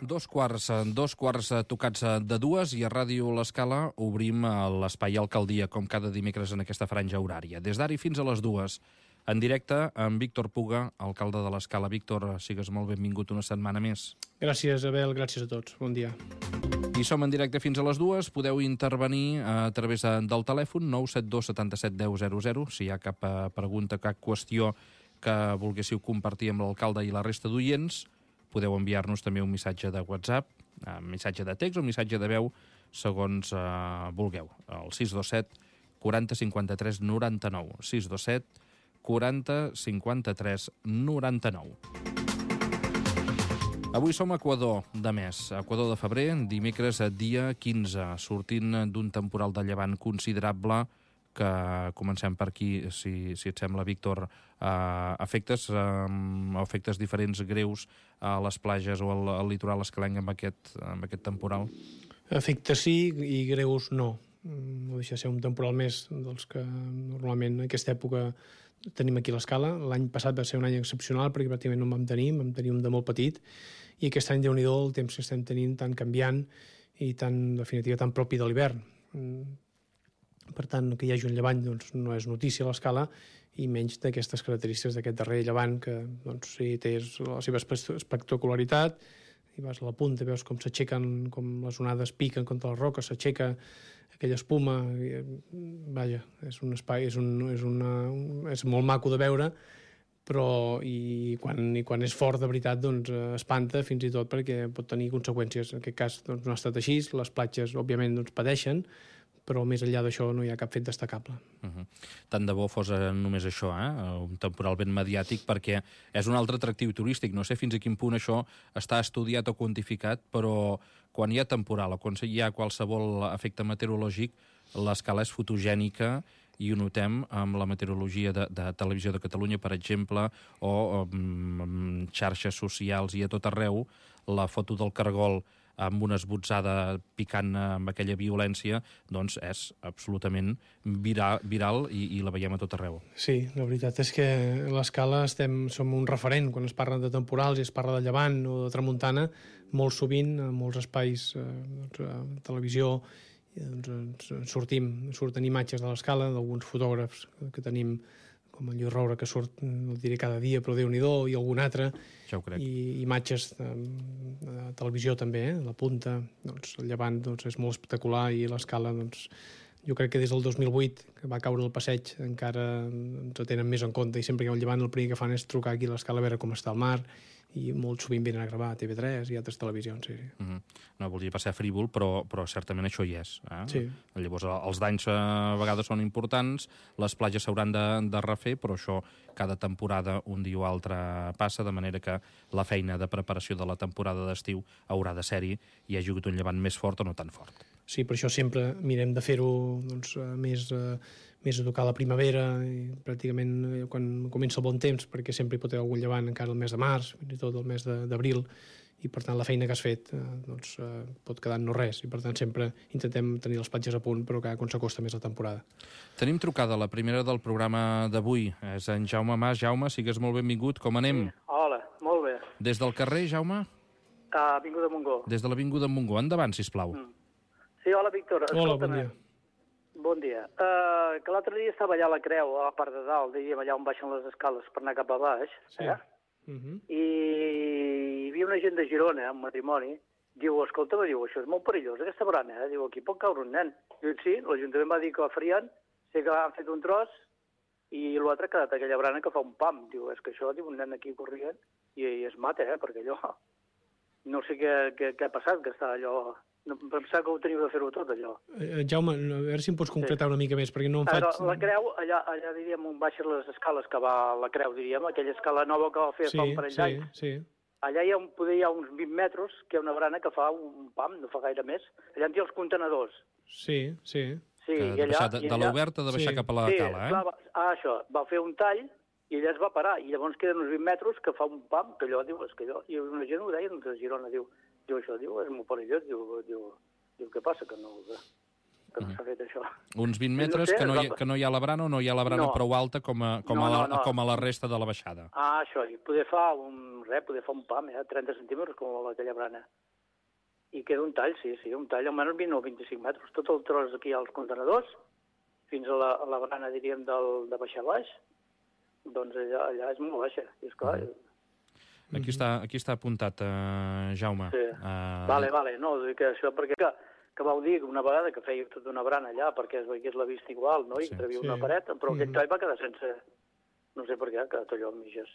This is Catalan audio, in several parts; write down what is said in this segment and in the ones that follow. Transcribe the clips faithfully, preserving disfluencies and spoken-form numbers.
Dos quarts, dos quarts tocats de dues i a Ràdio L'Escala obrim l'espai Alcaldia, com cada dimecres en aquesta franja horària. Des d'ara fins a les dues, en directe amb Víctor Puga, alcalde de l'Escala. Víctor, sigues molt benvingut una setmana més. Gràcies, Abel, gràcies a tots. Bon dia. I som en directe fins a les dues. Podeu intervenir a través del telèfon nou set dos set set deu zero zero. Si hi ha cap pregunta, cap qüestió que volguéssiu compartir amb l'alcalde i la resta d'oients, podeu enviar-nos també un missatge de WhatsApp, un missatge de text o un missatge de veu, segons eh, vulgueu. El sis dos set quaranta cinquanta tres noranta nou. sis dos set quaranta cinquanta tres noranta nou. Avui som a Equador de mes, Equador de febrer, dimecres dia quinze, sortint d'un temporal de llevant considerable que comencem per aquí, si, si et sembla, Víctor, eh, efectes, eh, efectes diferents greus a les platges o al, al litoral escalenc amb aquest, amb aquest temporal? Efectes sí i greus no. No deixa de ser un temporal més dels que normalment en aquesta època tenim aquí a l'Escala. L'any passat va ser un any excepcional perquè pràcticament no en vam tenir, vam tenir un de molt petit, i aquest any, Déu-n'hi-do, el temps que estem tenint tan canviant i tan, en definitiva, tan propi de l'hivern. Per tant, que hi hagi un llevant doncs, no és notícia a l'Escala, i menys d'aquestes característiques d'aquest darrer llevant que doncs, sí, té la seva espectacularitat, i vas a la punta, veus com s'aixequen, com les onades piquen contra les roques, s'aixeca aquella espuma, i, vaja, és un espai, és, un, és, una, és molt maco de veure, però i quan, i quan és fort de veritat doncs espanta fins i tot perquè pot tenir conseqüències. En aquest cas doncs, no ha estat així, les platges òbviament doncs, pateixen, però més enllà d'això no hi ha cap fet destacable. Uh-huh. Tant de bo fos només això, eh? Un temporal ben mediàtic, perquè és un altre atractiu turístic. No sé fins a quin punt això està estudiat o quantificat, però quan hi ha temporal o quan hi ha qualsevol efecte meteorològic, l'Escala és fotogènica i ho notem amb la meteorologia de, de Televisió de Catalunya, per exemple, o amb xarxes socials i a tot arreu, la foto del cargol amb una esbotzada picant amb aquella violència, doncs és absolutament viral, viral i, i la veiem a tot arreu. Sí, la veritat és que a l'Escala estem, som un referent quan es parla de temporals i es parla de llevant o de tramuntana, molt sovint a molts espais, eh, doncs, a televisió, doncs, sortim, surten imatges de l'Escala d'alguns fotògrafs que tenim, com el Lluís Roure, que surt, no el diré cada dia, però Déu-n'hi-do, i algun altre, ja ho crec. I imatges de, de televisió també, eh? La punta, doncs, el llevant doncs, és molt espectacular, i l'Escala, doncs, jo crec que des del dos mil vuit, que va caure el passeig, encara ens tenen més en compte, i sempre que hi ha un llevant el primer que fan és trucar aquí a l'Escala a veure com està el mar, i molt sovint venen a gravar a T V tres i altres televisions. Sí, sí. Uh-huh. No volia passar frívol, però, però certament això hi és. Eh? Sí. Llavors, els danys a vegades són importants, les platges s'hauran de, de refer, però això cada temporada un dia o altre passa, de manera que la feina de preparació de la temporada d'estiu haurà de ser-hi i hi hagi hagut un llevant més fort o no tan fort. Sí, per això sempre mirem de fer-ho doncs, més, uh, més a tocar la primavera, i pràcticament uh, quan comença el bon temps, perquè sempre hi pot haver algun llevant encara el mes de març, fins i tot el mes d'abril, i per tant la feina que has fet uh, doncs, uh, pot quedar en no res, i per tant sempre intentem tenir les platges a punt, però cada quan s'acosta més la temporada. Tenim trucada, la primera del programa d'avui, és en Jaume Mas. Jaume, sigues molt benvingut, com anem? Sí. Hola, molt bé. Des del carrer, Jaume? A Avinguda Montgó. Des de l'Avinguda Montgó, endavant, sisplau. Mm. Sí, hola, Víctor. Hola, bon dia. Bon dia. Uh, que l'altre dia estava allà a la Creu, a la part de dalt, diríem, allà on baixen les escales per anar cap a baix, sí. eh? Uh-huh. I hi havia una gent de Girona, un matrimoni, diu, escolta, diu, això és molt perillós, aquesta barana, eh? Diu, aquí pot caure un nen. Diu, sí, l'Ajuntament va dir que ho farien, sé que han fet un tros, i l'altre ha quedat aquella barana que fa un pam. Diu, és que això, diu, un nen aquí corrient, i, i es mata, eh? Perquè allò, no sé què, què, què ha passat, que està allò... No, pensava que ho teniu de fer-ho tot, allò. Eh, Jaume, a veure si em pots concretar sí. una mica més, perquè no em faig... Però la Creu, allà, allà diríem, on baixen les escales que va a la Creu, diríem, aquella escala nova que va fer sí, fa un parell sí, d'anys. Sí. Allà hi ha, un, poder, hi ha uns vint metres, que hi ha una barana que fa un pam, no fa gaire més. Allà hi ha els contenedors. Sí, sí. Sí, que i de, allà, de, i allà, de l'oberta de baixar sí. cap a la sí, cala, eh? Clar, ah, això, va fer un tall, i allà es va parar, i llavors queden uns vint metres que fa un pam, que allò, diu, és que allò... I una gent ho deia, de Girona, diu, diu això, diu, és molt perillós, diu, diu, diu, què passa, que no, que no s'ha fet això. Uns vint metres, no sé, que, no hi, que no hi ha la brana o no hi ha la brana no. prou alta com a, com, no, a la, no, no. com a la resta de la baixada. Ah, això, i poder fa un, res, poder fa un pam, eh, trenta centímetres com aquella brana. i queda un tall, sí, sí, un tall almenys vint o vint-i-cinc metres. Tot el tros aquí als contenedors, fins a la, a la barana, diríem, del, de baixar baix, doncs allà, allà és molt baixa. I esclar, uh -huh. Aquí està, aquí està apuntat, uh, Jaume. Sí. Uh... Vale, vale, no, que això perquè que, que vau dir una vegada que feia tota una barana allà perquè es veiés la vista igual, no? I Sí. que havia Sí. una paret, però Mm. aquest tall va quedar sense... No sé per què, ha quedat allò amb mitges.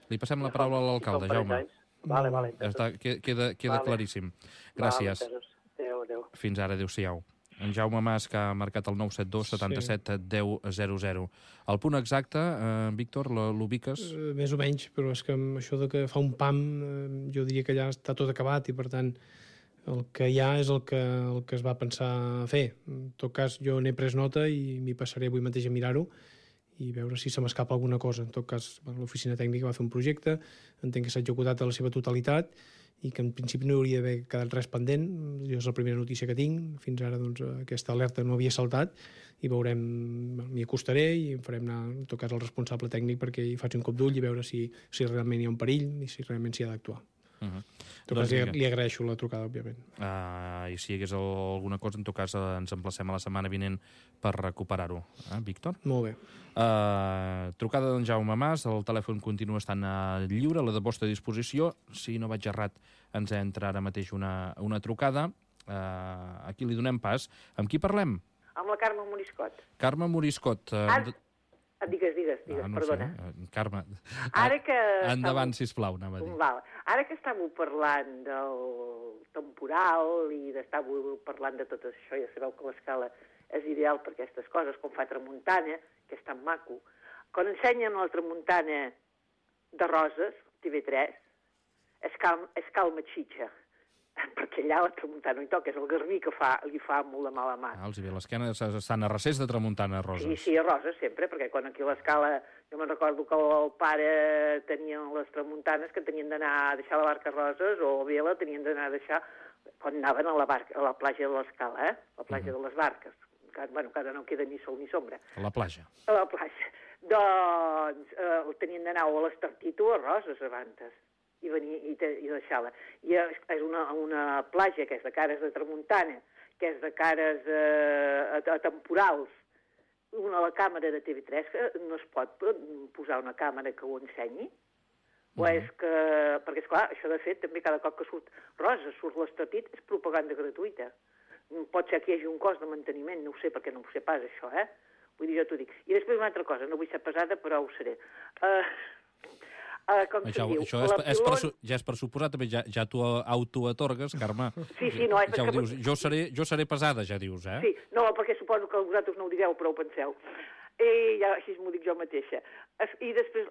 Li passem la paraula a l'alcalde, Jaume. Vale, vale. Ja està, queda, queda Vale. claríssim. Gràcies. Vale, adéu, adéu. Fins ara, adéu-siau. En Jaume Mas, que ha marcat el nou set dos setanta-set deu zero zero. El punt exacte, eh, Víctor, l'ubiques? Uh, més o menys, però és que amb això de que fa un pam, uh, jo diria que ja està tot acabat i, per tant, el que hi ha és el que, el que es va pensar fer. En tot cas, jo n'he pres nota i m'hi passaré avui mateix a mirar-ho i veure si se m'escapa alguna cosa. En tot cas, l'oficina tècnica va fer un projecte, entenc que s'ha executat a la seva totalitat i que en principi no hauria d'haver quedat res pendent. Jo és la primera notícia que tinc. Fins ara doncs, aquesta alerta no havia saltat i veurem, m'hi acostaré i em farem anar, en tot cas, al responsable tècnic perquè hi faci un cop d'ull i veure si, si realment hi ha un perill i si realment s'hi ha d'actuar. Uh -huh. En tot Doncs cas, li, li agraeixo la trucada, òbviament. Uh, I si hi hagués alguna cosa, en tot cas, uh, ens emplacem a la setmana vinent per recuperar-ho. Eh, Víctor? Molt bé. Uh, trucada d'en Jaume Mas, el telèfon continua estant uh, lliure, a la de vostra disposició. Si no vaig errat, ens entra ara mateix una, una trucada. Uh, aquí li donem pas. Amb qui parlem? Amb la Carme Moriscot. Carme Moriscot. Uh, Ara... Digues, digues, digues, ah, no perdona. Sé. Uh, Carme, Ara que... endavant, estàveu... sisplau, anava a dir. Val. Ara que estàveu parlant del temporal i d'estàveu parlant de tot això, ja sabeu que l'escala és ideal per aquestes coses, com fa tramuntana, que és tan maco. Quan ensenyen la tramuntana de Roses, T V tres, es, cal, es calma xitxa, perquè allà la tramuntana no hi toca, és el garbí que fa, li fa molt de mala mà. Ah, els hi ve l'esquena, estan a recés de tramuntana, Roses. Sí, sí, a Roses sempre, perquè quan aquí a l'escala, jo me'n recordo que el pare tenia les tramuntanes que tenien d'anar a deixar la barca a Roses, o bé la tenien d'anar a deixar quan anaven a la, barca, a la platja de l'escala, eh? La platja uh -huh. de les barques. Que, bueno, que ara no queda ni sol ni sombra. A la platja. A la platja. Doncs eh, el tenien d'anar o a l'Estartit o a Roses abans i venir i, te, i deixar-la. I és, és una, una platja que és de cares de tramuntana, que és de cares eh, a, a temporals, una a la càmera de T V tres, que no es pot posar una càmera que ho ensenyi, o uh -huh. és que... Perquè, esclar, això de fet, també cada cop que surt Rosa, surt l'Estartit, és propaganda gratuïta. Pot ser que hi hagi un cost de manteniment, no ho sé, perquè no ho sé pas, això, eh? Vull dir, jo t'ho dic. I després una altra cosa, no vull ser pesada, però ho seré. Uh, uh, com això, diu, això és, pilon... és per, ja és per suposar, també ja, ja t'ho autoatorgues, Carme. Sí, sí, no, és ja ho que... dius. Jo seré, jo seré pesada, ja dius, eh? Sí, no, perquè suposo que vosaltres no ho direu, però ho penseu. I ja així m'ho dic jo mateixa. I després,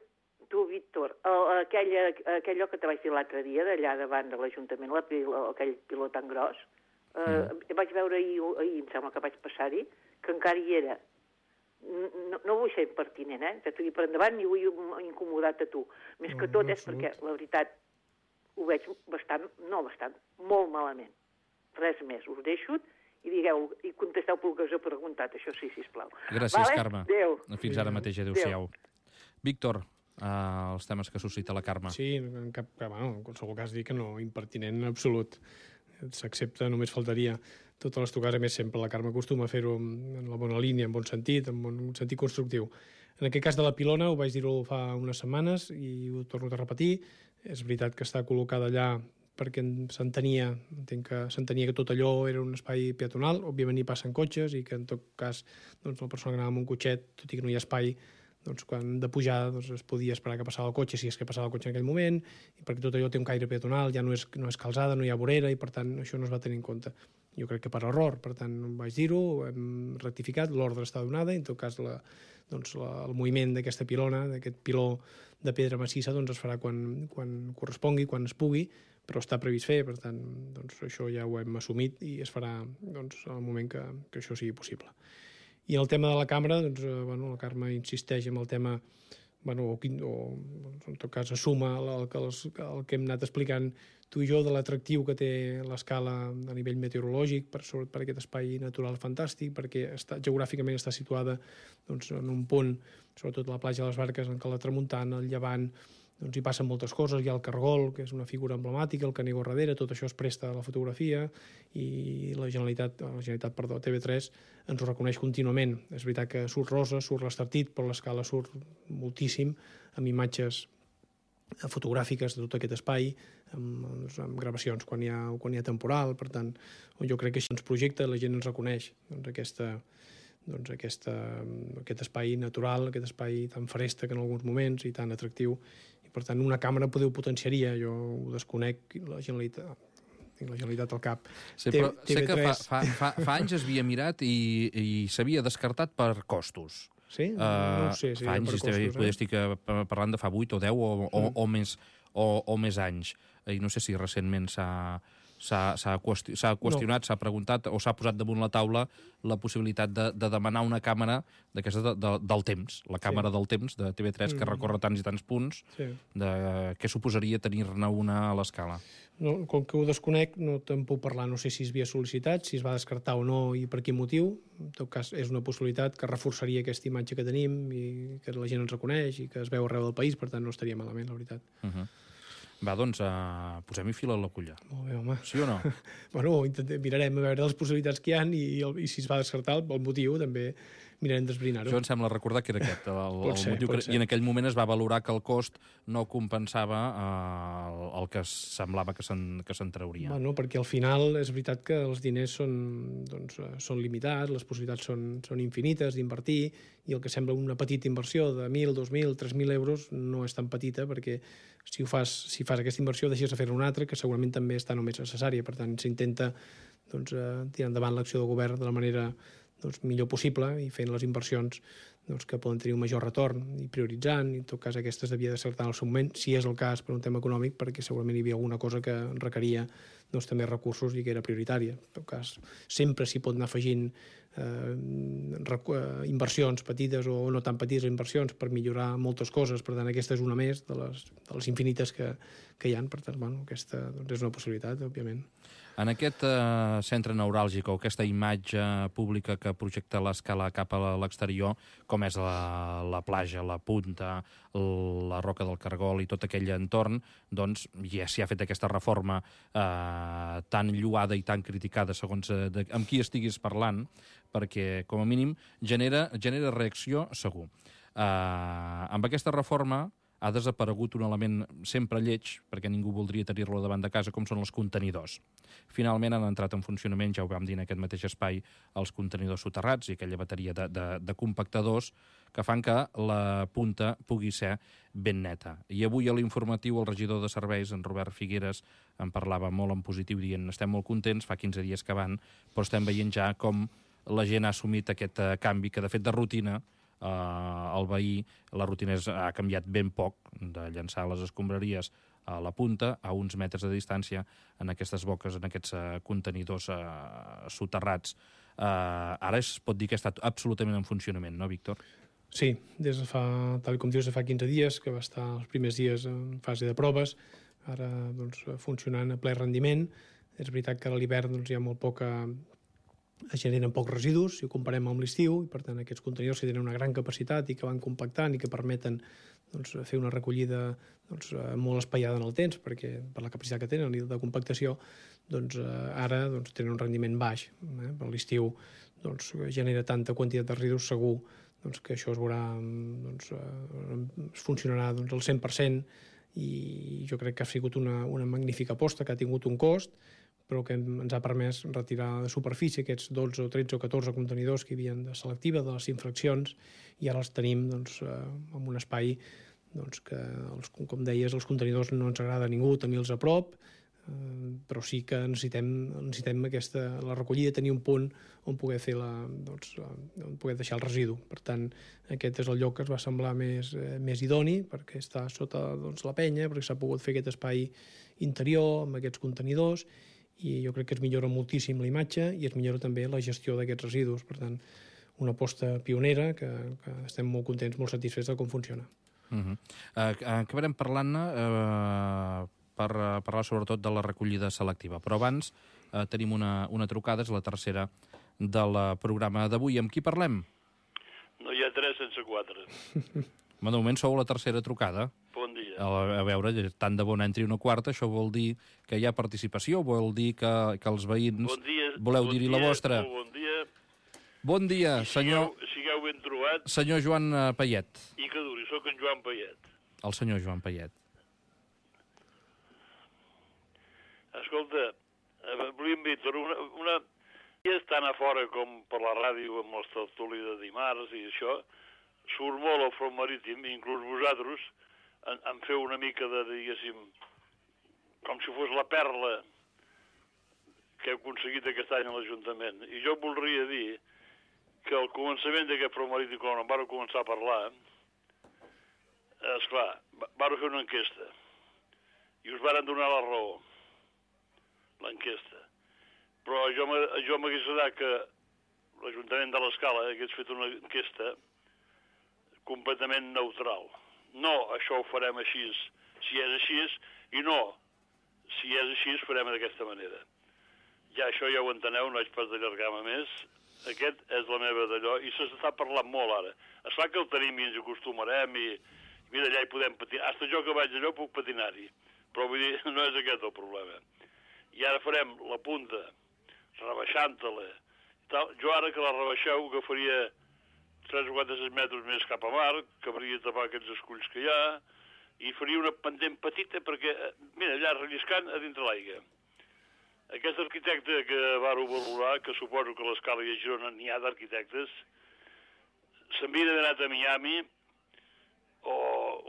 tu, Víctor, aquella, aquell lloc que te vaig dir l'altre dia, d'allà davant de l'Ajuntament, aquell piló tan gros, Uh, mm. vaig veure ahir, ahir, em sembla que vaig passar-hi, que encara hi era. No, no vull ser impertinent, eh? T'ho dic per endavant, ni vull incomodar-te a tu. Més no, que tot no, és perquè, la veritat, ho veig bastant, no bastant, molt malament. Res més, us deixo i digueu, i contesteu pel que us he preguntat, això sí, sisplau. Gràcies, vale? Carme. Adéu. Fins ara mateix, adéu-siau. Víctor, uh, els temes que suscita la Carme. Sí, en cap, bueno, en qualsevol cas dir que no, impertinent en absolut. S'accepta, només faltaria. Totes les trucades, a més, sempre la Carme acostuma a fer-ho en la bona línia, en bon sentit, en bon sentit constructiu. En aquest cas de la pilona, ho vaig dir-ho fa unes setmanes i ho torno a repetir, és veritat que està col·locada allà perquè s'entenia, entenc que s'entenia que tot allò era un espai peatonal, òbviament hi passen cotxes i que en tot cas doncs, la persona que anava amb un cotxet, tot i que no hi ha espai, doncs, quan de pujar doncs, es podia esperar que passava el cotxe, si és que passava el cotxe en aquell moment, i perquè tot allò té un caire peatonal, ja no és, no és calçada, no hi ha vorera, i per tant això no es va tenir en compte. Jo crec que per error, per tant vaig dir-ho, hem rectificat, l'ordre està donada, i en tot cas la, doncs, la, el moviment d'aquesta pilona, d'aquest piló de pedra massissa, doncs es farà quan, quan correspongui, quan es pugui, però està previst fer, per tant doncs, això ja ho hem assumit i es farà doncs, al moment que, que això sigui possible. I en el tema de la càmera, doncs, eh, bueno, la Carme insisteix en el tema, bueno, o, o en tot cas assuma el, el, el que hem anat explicant tu i jo de l'atractiu que té l'escala a nivell meteorològic per, per aquest espai natural fantàstic, perquè està, geogràficament està situada doncs, en un punt, sobretot a la platja de les Barques, en què la tramuntana, el llevant, doncs hi passen moltes coses, hi ha el cargol, que és una figura emblemàtica, el canigó darrere, tot això es presta a la fotografia i la Generalitat, la Generalitat, perdó, T V tres ens ho reconeix contínuament. És veritat que surt rosa, surt l'Estartit, però l'escala surt moltíssim, amb imatges fotogràfiques de tot aquest espai, amb, doncs, amb gravacions quan hi, ha, quan hi ha temporal. Per tant, jo crec que així ens projecta, la gent ens reconeix doncs, aquesta, doncs, aquesta, aquest espai natural, aquest espai tan fresc en alguns moments i tan atractiu. I, per tant, una càmera poder ho potenciaria. Jo ho desconec, la Generalitat... tinc la Generalitat al cap. Sí, però sé que fa, fa, fa, fa anys es havia mirat i, i s'havia descartat per costos. Sí? Uh, no ho sé. Si fa anys, per costos, eh? estic parlant de fa vuit o deu o, o, mm. o, més, o, o més anys. I no sé si recentment s'ha s'ha qüestionat, no. s'ha preguntat o s'ha posat damunt la taula la possibilitat de, de demanar una càmera d'aquesta de, de, del temps, la càmera sí. del temps de T V tres mm. que recorre tants i tants punts, sí. de què suposaria tenir-ne una a l'escala. No, com que ho desconec, no te'n puc parlar, no sé si es havia sol·licitat, si es va descartar o no i per quin motiu. En tot cas, és una possibilitat que reforçaria aquesta imatge que tenim i que la gent ens reconeix i que es veu arreu del país, per tant no estaria malament, la veritat. Uh -huh. Va, doncs, uh, posem-hi fil a l'agulla. Molt bé, home. Sí o no? Bueno, mirarem a veure les possibilitats que hi ha i, el, i si es va descartar el, el motiu, també mirarem d'esbrinar-ho. Jo em sembla recordar que era aquest, el, el ser, motiu. Que, I en aquell moment es va valorar que el cost no compensava uh, el que semblava que se'n trauria. Bueno, perquè al final és veritat que els diners són, doncs, són limitats, les possibilitats són, són infinites d'invertir, i el que sembla una petita inversió de mil, dos mil, tres mil euros no és tan petita, perquè si ho fas, si fas aquesta inversió deixes de fer una altra que segurament també està només necessària. Per tant, s'intenta doncs, eh, tirar endavant l'acció de govern de la manera doncs, millor possible i fent les inversions doncs, que poden tenir un major retorn i prioritzant, i en tot cas aquestes devia d'acertar en el seu moment, si és el cas per un tema econòmic, perquè segurament hi havia alguna cosa que requeria doncs, també recursos i que era prioritària. En tot cas, sempre s'hi pot anar afegint eh, inversions petites o no tan petites inversions per millorar moltes coses. Per tant, aquesta és una més de les, de les infinites que, que hi ha. Per tant, bueno, aquesta doncs, és una possibilitat, òbviament. En aquest eh, centre neuràlgic o aquesta imatge pública que projecta l'escala cap a l'exterior, com és la, la platja, la punta, la roca del Cargol i tot aquell entorn, doncs ja s'hi ha fet aquesta reforma eh, tan lloada i tan criticada segons eh, de, amb qui estiguis parlant, perquè, com a mínim, genera, genera reacció segur. Eh, amb aquesta reforma ha desaparegut un element sempre lleig, perquè ningú voldria tenir-lo davant de casa, com són els contenidors. Finalment han entrat en funcionament, ja ho vam dir en aquest mateix espai, els contenidors soterrats i aquella bateria de, de, de compactadors que fan que la punta pugui ser ben neta. I avui a l'informatiu el regidor de serveis, en Robert Figueres, en parlava molt en positiu, dient estem molt contents, fa quinze dies que van, però estem veient ja com la gent ha assumit aquest uh, canvi, que de fet de rutina Uh, el veí, la rutina és, ha canviat ben poc, de llançar les escombraries a la punta, a uns metres de distància, en aquestes boques, en aquests uh, contenidors uh, soterrats. Uh, ara es pot dir que ha estat absolutament en funcionament, no, Víctor? Sí, des de fa, tal com dius, de fa quinze dies, que va estar els primers dies en fase de proves, ara doncs, funcionant a ple rendiment. És veritat que a l'hivern doncs, hi ha molt poca... es generen pocs residus, si ho comparem amb l'estiu, i per tant aquests contenidors que tenen una gran capacitat i que van compactant i que permeten doncs, fer una recollida doncs, molt espaiada en el temps, perquè per la capacitat que tenen de compactació, doncs, ara doncs, tenen un rendiment baix. Eh? Per l'estiu doncs, genera tanta quantitat de residus, segur doncs, que això es veurà, doncs, es funcionarà doncs, al cent per cent, i jo crec que ha sigut una, una magnífica aposta, que ha tingut un cost, però que ens ha permès retirar de superfície aquests dotze o tretze o catorze contenidors que hi havia de selectiva, de les infraccions, i ara els tenim doncs, en un espai doncs, que, els, com deies, els contenidors no ens agrada a ningú tenir-los a prop, eh, però sí que necessitem, necessitem aquesta, la recollida, tenir un punt on poder fer la, doncs, on poder deixar el residu. Per tant, aquest és el lloc que es va semblar més, eh, més idoni, perquè està sota doncs, la penya, perquè s'ha pogut fer aquest espai interior amb aquests contenidors, i jo crec que es millora moltíssim la imatge i es millora també la gestió d'aquests residus. Per tant, una aposta pionera que, que estem molt contents, molt satisfets de com funciona. Uh-huh. uh, acabarem parlant-ne uh, per uh, parlar sobretot de la recollida selectiva, però abans uh, tenim una, una trucada, és la tercera del programa d'avui. Amb qui parlem? No hi ha tres sense quatre. De moment sou la tercera trucada. Bon dia. A, a veure, tant de bon entri una quarta, això vol dir que hi ha participació, vol dir que, que els veïns bon dia, voleu bon dir-hi dia, la vostra. Molt bon dia. Bon dia, I senyor... Sigueu, sigueu ben trobat. Senyor Joan Payet. I que duri, sóc en Joan Payet. El senyor Joan Payet. Escolta, volíem Víctor, una, una... Ja estan a fora com per la ràdio amb els tertuli de dimarts i això, surt molt el front marítim, inclús vosaltres en, en feu una mica de, diguéssim, com si fos la perla que heu aconseguit aquest any a l'Ajuntament. I jo voldria dir que al començament d'aquest front marítim, quan en vàreu començar a parlar, esclar, vàreu fer una enquesta i us varen donar la raó, l'enquesta. Però jo m'hagués agradat que l'Ajuntament de l'Escala hagués fet una enquesta completament neutral. No, això ho farem així, si és així, i no, si és així, farem d'aquesta manera. Ja això ja ho enteneu, no haig pas d'allargar-me més. Aquest és la meva d'allò, i s'està parlant molt ara. Esclar que el tenim i ens acostumarem, i mira, allà hi podem patinar. Hasta jo que vaig allò puc patinar-hi, però vull dir, no és aquest el problema. I ara farem la punta, rebaixant-la. Jo ara que la rebaixeu agafaria tres o quatre metres més cap a mar, cabria tapar aquests esculls que hi ha, i faria una pendent petita perquè, mira, allà relliscant a dintre l'aigua. Aquest arquitecte que vàreu valorar, que suposo que a l'Escala i a Girona n'hi ha d'arquitectes, s'havia d'haver anat a Miami o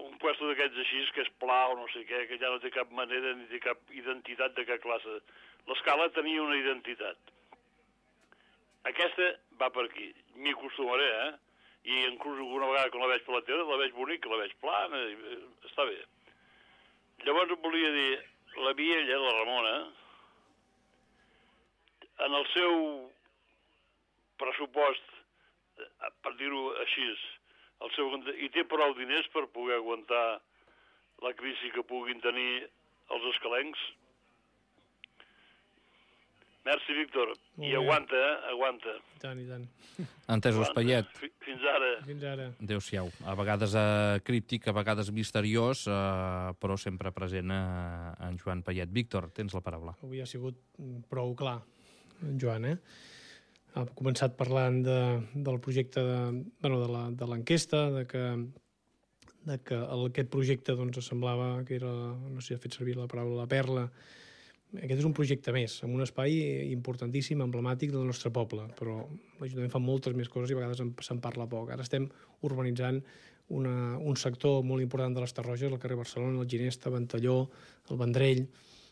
un puesto d'aquests així, que és pla o no sé què, que ja no té cap manera ni té cap identitat de cap classe. L'Escala tenia una identitat. Aquesta va per aquí. M'hi acostumaré, eh? I inclús alguna vegada quan la veig per la tele, la veig bonica, la veig plana, i està bé. Llavors volia dir, la Viella, la Ramona, en el seu pressupost, per dir-ho així, el seu, i té prou diners per poder aguantar la crisi que puguin tenir els escalencs. Merci, Víctor. I aguanta, eh? Aguanta. I tant, i tant. Entesos, Payet. Fins ara. Fins ara. Adéu-siau. A vegades eh, críptic, a vegades misteriós, eh, però sempre present eh, en Joan Payet. Víctor, tens la paraula. Avui ha sigut prou clar, en Joan, eh? Ha començat parlant de, del projecte de, bueno, de l'enquesta, de, de que, de que el, aquest projecte doncs, semblava que era, no sé si ha fet servir la paraula, la perla. Aquest és un projecte més, en un espai importantíssim, emblemàtic del nostre poble, però l'Ajuntament fa moltes més coses i a vegades se'n parla poc. Ara estem urbanitzant una, un sector molt important de les Tarroges, el carrer Barcelona, el Ginesta, Ventalló, el Vendrell,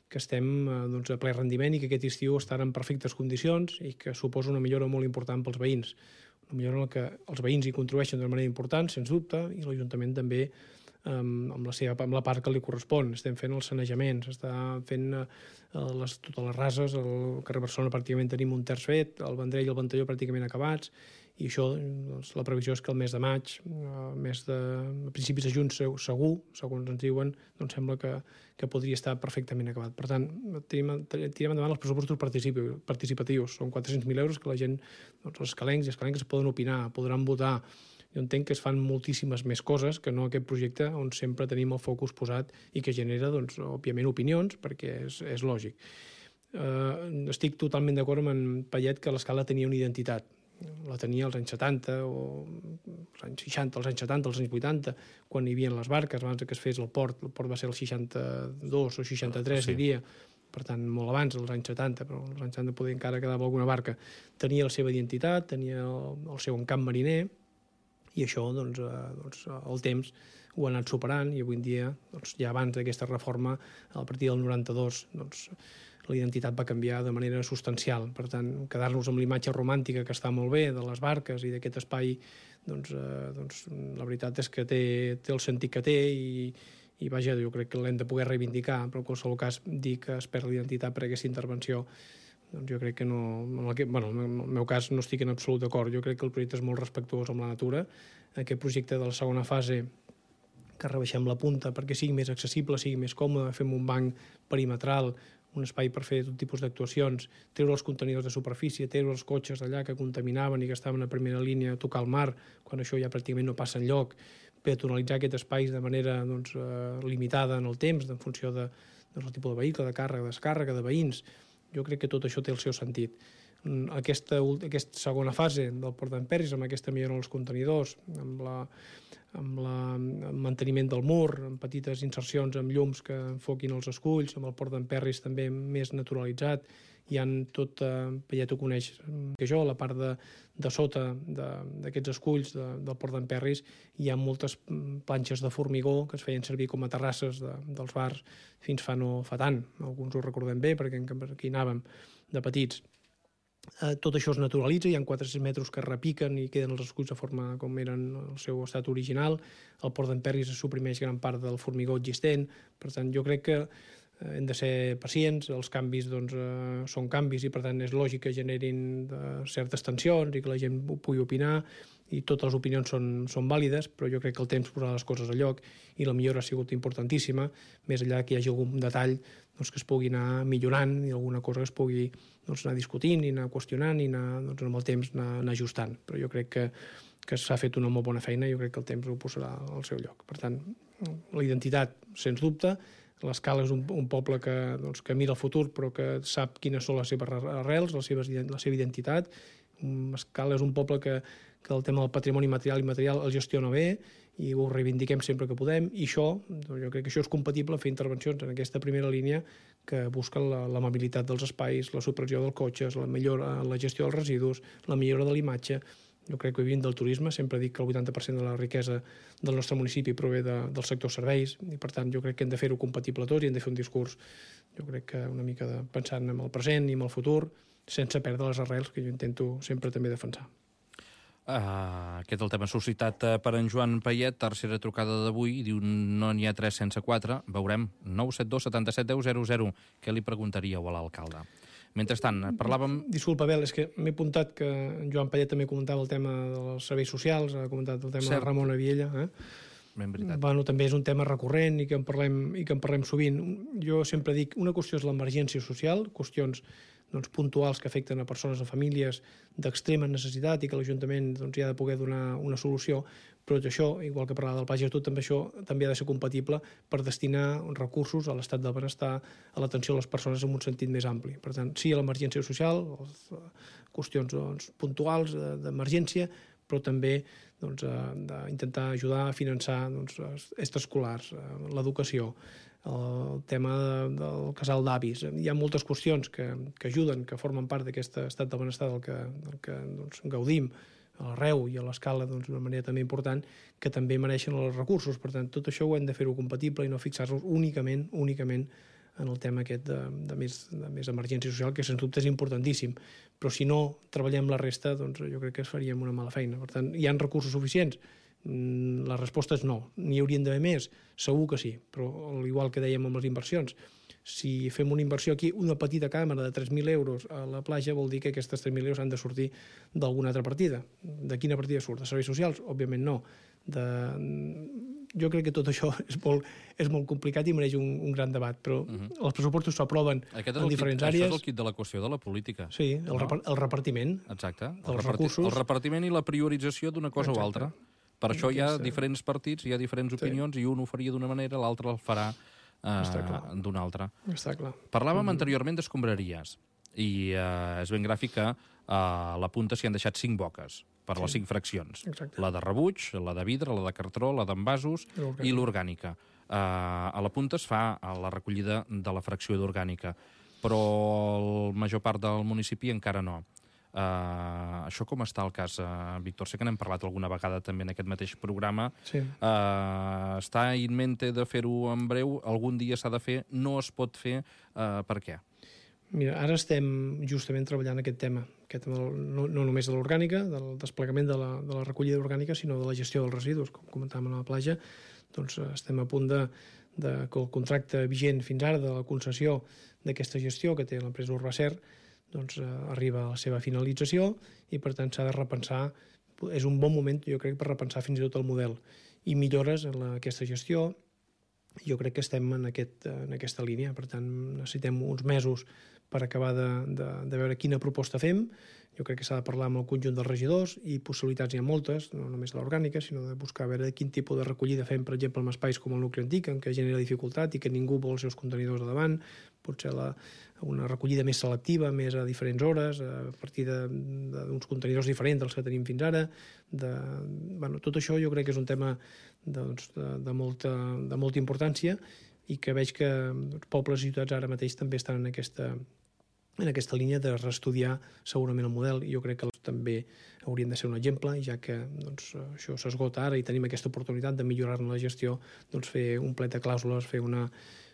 que estem doncs, a ple rendiment i que aquest estiu estan en perfectes condicions i que suposa una millora molt important pels veïns. Una millora en què els veïns hi contribueixen d'una manera important, sens dubte, i l'Ajuntament també amb la, seva, amb la part que li correspon. Estem fent els sanejaments, està fent les, totes les rases, el carrer Barcelona pràcticament tenim un terç fet, el Vendrell i el Ventalló pràcticament acabats, i això, doncs, la previsió és que el mes de maig, mes de, a principis de juny segur, segons ens diuen, doncs sembla que, que podria estar perfectament acabat. Per tant, tirem, tirem endavant els pressupostos participatius. Són quatre-cents mil euros que la gent, doncs, els escalencs i escalenques poden opinar, podran votar. Jo entenc que es fan moltíssimes més coses que no aquest projecte on sempre tenim el focus posat i que genera, doncs, òbviament, opinions, perquè és, és lògic. Eh, estic totalment d'acord amb en Payet que l'Escala tenia una identitat. La tenia als anys setanta, o als anys seixanta, als anys setanta, als anys vuitanta, quan hi havia les barques, abans que es fes el port. El port va ser el seixanta-dos o seixanta-tres, sí. Diria. Per tant, molt abans, als anys setanta, però als anys setanta poder encara quedava alguna barca. Tenia la seva identitat, tenia el, el seu encamp mariner, i això, doncs, eh, doncs, el temps ho ha anat superant, i avui en dia, doncs, ja abans d'aquesta reforma, a partir del noranta-dos, doncs, la identitat va canviar de manera substancial. Per tant, quedar-nos amb l'imatge romàntica que està molt bé de les barques i d'aquest espai, doncs, eh, doncs, la veritat és que té, té el sentit que té i, i vaja, jo crec que l'hem de poder reivindicar, però en qualsevol cas dir que es perd l'identitat per aquesta intervenció, doncs jo crec que no... En el, que, bueno, en el meu cas no estic en absolut d'acord. Jo crec que el projecte és molt respectuós amb la natura. Aquest projecte de la segona fase, que rebaixem la punta perquè sigui més accessible, sigui més còmode, fem un banc perimetral, un espai per fer tot tipus d'actuacions, treure els contenidors de superfície, treure els cotxes d'allà que contaminaven i que estaven a primera línia a tocar el mar, quan això ja pràcticament no passa enlloc, peatonalitzar aquest espai de manera doncs, eh, limitada en el temps, en funció de, del tipus de vehicle, de càrrega, de descàrrega, de veïns. Jo crec que tot això té el seu sentit. Aquesta, aquesta segona fase del Port d'en Perris, amb aquesta millora dels contenidors, amb, la, amb la, el manteniment del mur, amb petites insercions amb llums que enfoquin els esculls, amb el Port d'en Perris també més naturalitzat, hi ha tot, eh, ja t'ho coneix que jo, la part de, de sota d'aquests esculls de, del Port d'en Perris, hi ha moltes planxes de formigó que es feien servir com a terrasses de, dels bars fins fa no fa tant. Alguns ho recordem bé perquè aquí anàvem de petits. Eh, tot això es naturalitza, hi ha quatre-cents metres que repiquen i queden els esculls de forma com eren el seu estat original. Al Port d'en Perris es suprimeix gran part del formigó existent. Per tant, jo crec que eh, hem de ser pacients, els canvis doncs, eh, són canvis i per tant és lògic que generin eh, certes tensions i que la gent pugui opinar i totes les opinions són, són vàlides, però jo crec que el temps posarà les coses a lloc i la millora ha sigut importantíssima, més enllà que hi hagi algun detall doncs, que es pugui anar millorant i alguna cosa que es pugui doncs, anar discutint i anar qüestionant i anar, doncs, amb el temps anar, anar ajustant. Però jo crec que, que s'ha fet una molt bona feina i jo crec que el temps ho posarà al seu lloc. Per tant, la identitat, sens dubte, l'Escala és un, un poble que, doncs, que mira el futur però que sap quines són les seves arrels, les seves, la seva identitat. Escala és un poble que, que el tema del patrimoni material i immaterial el gestiona bé i ho reivindiquem sempre que podem i això, doncs jo crec que això és compatible fer intervencions en aquesta primera línia que busquen l'amabilitat dels espais, la supressió dels cotxes, la millora, la gestió dels residus, la millora de l'imatge. Jo crec que vivint del turisme, sempre dic que el vuitanta per cent de la riquesa del nostre municipi prové de, del sector serveis i per tant jo crec que hem de fer-ho compatible tots i hem de fer un discurs, jo crec que una mica de, pensant en el present i en el futur sense perdre les arrels que jo intento sempre també defensar. Uh, aquest és el tema suscitat uh, per en Joan Payet, tercera trucada d'avui, diu no n'hi ha tres sense quatre, veurem, nou set dos setanta-set deu zero zero. Què li preguntaríeu a l'alcalde? Mentrestant, parlàvem... Disculpa, Abel, és que m'he apuntat que en Joan Payet també comentava el tema dels serveis socials, ha comentat el tema Cert. de Ramon Aviella, eh? Ben veritat. Bueno, també és un tema recurrent i que en parlem, i que en parlem sovint. Jo sempre dic, una qüestió és l'emergència social, qüestions doncs, puntuals que afecten a persones, a famílies d'extrema necessitat i que l'Ajuntament doncs, hi ha de poder donar una solució, però això, igual que parlava del Pla Gestor, també això també ha de ser compatible per destinar recursos a l'estat del benestar, a l'atenció a les persones en un sentit més ampli. Per tant, sí a l'emergència social, qüestions doncs, puntuals d'emergència, però també doncs, d'intentar ajudar a finançar doncs, extraescolars, l'educació, el tema del casal d'avis. Hi ha moltes qüestions que, que ajuden, que formen part d'aquest estat del benestar del que, del que doncs, gaudim a l'Arreu i a l'Escala d'una doncs, manera també important, que també mereixen els recursos. Per tant, tot això ho hem de fer-ho compatible i no fixar-nos únicament únicament en el tema aquest de, de, més, de més emergència social, que sens dubte és importantíssim. Però si no treballem la resta, doncs jo crec que faríem una mala feina. Per tant, hi ha recursos suficients? La resposta és no. N'hi haurien d'haver més? Segur que sí, però al igual que dèiem amb les inversions, si fem una inversió aquí, una petita càmera de tres mil euros a la platja, vol dir que aquestes tres mil euros han de sortir d'alguna altra partida. De quina partida surt? De serveis socials? Òbviament no. De... Jo crec que tot això és molt, és molt complicat i mereix un, un gran debat, però uh -huh. els pressupostos s'aproven en diferents kit, àrees. Això és el kit de la qüestió de la política. Sí, el, no? repar el repartiment. Exacte, el, dels reparti recursos. El repartiment i la priorització d'una cosa Exacte. o altra. Per això hi ha Aquesta... diferents partits, hi ha diferents opinions, sí. i un ho faria d'una manera, l'altre el farà uh, d'una altra. Està clar. Parlàvem mm. anteriorment d'escombraries, i uh, és ben gràfic que uh, a la punta s'hi han deixat cinc boques per sí. les cinc fraccions. Exacte. La de rebuig, la de vidre, la de cartró, la d'envasos i l'orgànica. Uh, a la punta es fa la recollida de la fracció d'orgànica, però la major part del municipi encara no. Uh, això com està el cas, uh, Víctor? Sé que n'hem parlat alguna vegada també en aquest mateix programa. Sí. Uh, està in mente de fer-ho en breu, algun dia s'ha de fer, no es pot fer, uh, per què? Mira, ara estem justament treballant aquest tema, aquest tema no, no només de l'orgànica, del desplegament de la, de la recollida orgànica, sinó de la gestió dels residus, com comentàvem a la platja. Doncs estem a punt de, de que el contracte vigent fins ara de la concessió d'aquesta gestió que té l'empresa Urbacer doncs, eh, arriba a la seva finalització i, per tant, s'ha de repensar. És un bon moment, jo crec, per repensar fins i tot el model. I millores en la, aquesta gestió, jo crec que estem en, aquest, en aquesta línia. Per tant, necessitem uns mesos per acabar de, de, de veure quina proposta fem, jo crec que s'ha de parlar amb el conjunt dels regidors i possibilitats hi ha moltes, no només l'orgànica, sinó de buscar a veure quin tipus de recollida fem, per exemple, en espais com el nucli antic, en què genera dificultat i que ningú vol els seus contenidors a davant, potser la, una recollida més selectiva, més a diferents hores, a partir d'uns contenidors diferents dels que tenim fins ara. De, bueno, tot això jo crec que és un tema doncs, de, de, molta, de molta importància i que veig que els pobles i ciutats ara mateix també estan en aquesta, en aquesta línia de reestudiar segurament el model, i jo crec que també haurien de ser un exemple, ja que doncs, això s'esgota ara i tenim aquesta oportunitat de millorar-ne la gestió, doncs, fer un plet de clàusules, fer una,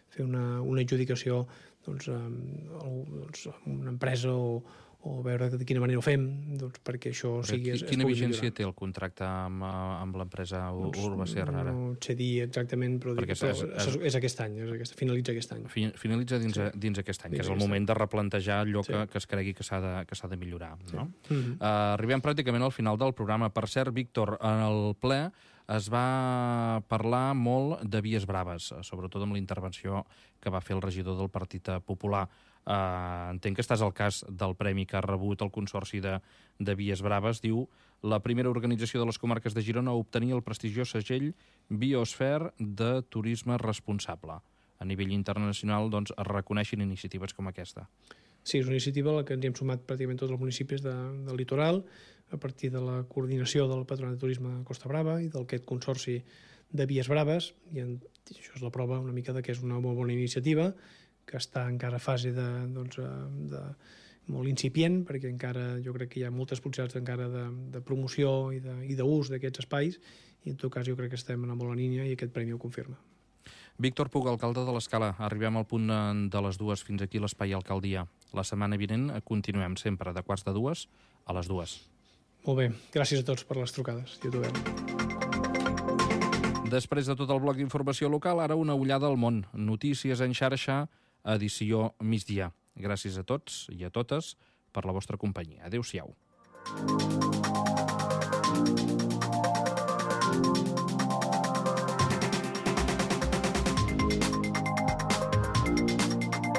fer una, una adjudicació doncs, amb, doncs, amb una empresa o, o veure de quina manera ho fem doncs, perquè això Però sigui... Es, quina es vigència millorar. té el contracte amb, amb l'empresa doncs, Urbacer ara? No sé dir exactament, però, dic, és, però és, és aquest any, és aquest, finalitza aquest any. Finalitza dins, sí. dins aquest any, dins que és el moment any. de replantejar allò sí. que, que es cregui que s'ha de, que s'ha de millorar. No? Sí. Mm-hmm. uh, arribem pràcticament al final del programa. Per cert, Víctor, en el ple es va parlar molt de vies braves, sobretot amb la intervenció que va fer el regidor del Partit Popular. Uh, entenc que estàs al cas del premi que ha rebut el Consorci de, de Vies Braves. Diu, la primera organització de les comarques de Girona a obtenir el prestigiós segell Biosphere de turisme responsable. A nivell internacional doncs, es reconeixen iniciatives com aquesta. Sí, és una iniciativa a la que ens hem sumat pràcticament tots els municipis de, del litoral, a partir de la coordinació del Patronat de Turisme de Costa Brava i d'aquest Consorci de Vies Braves, i en, això és la prova una mica de que és una molt bona iniciativa, que està encara a fase de, doncs, de, molt incipient, perquè encara jo crec que hi ha moltes possibilitats encara de, de promoció i d'ús d'aquests espais, i en tot cas jo crec que estem en una bona línia i aquest premi ho confirma. Víctor Puig, alcalde de l'Escala, arribem al punt de les dues, fins aquí l'Espai Alcaldia. La setmana vinent continuem sempre de quarts de dues a les dues. Molt bé, gràcies a tots per les trucades. I ho trobem. Després de tot el bloc d'informació local, ara una ullada al món. Notícies en xarxa, edició migdia. Gràcies a tots i a totes per la vostra companyia. Adéu-siau.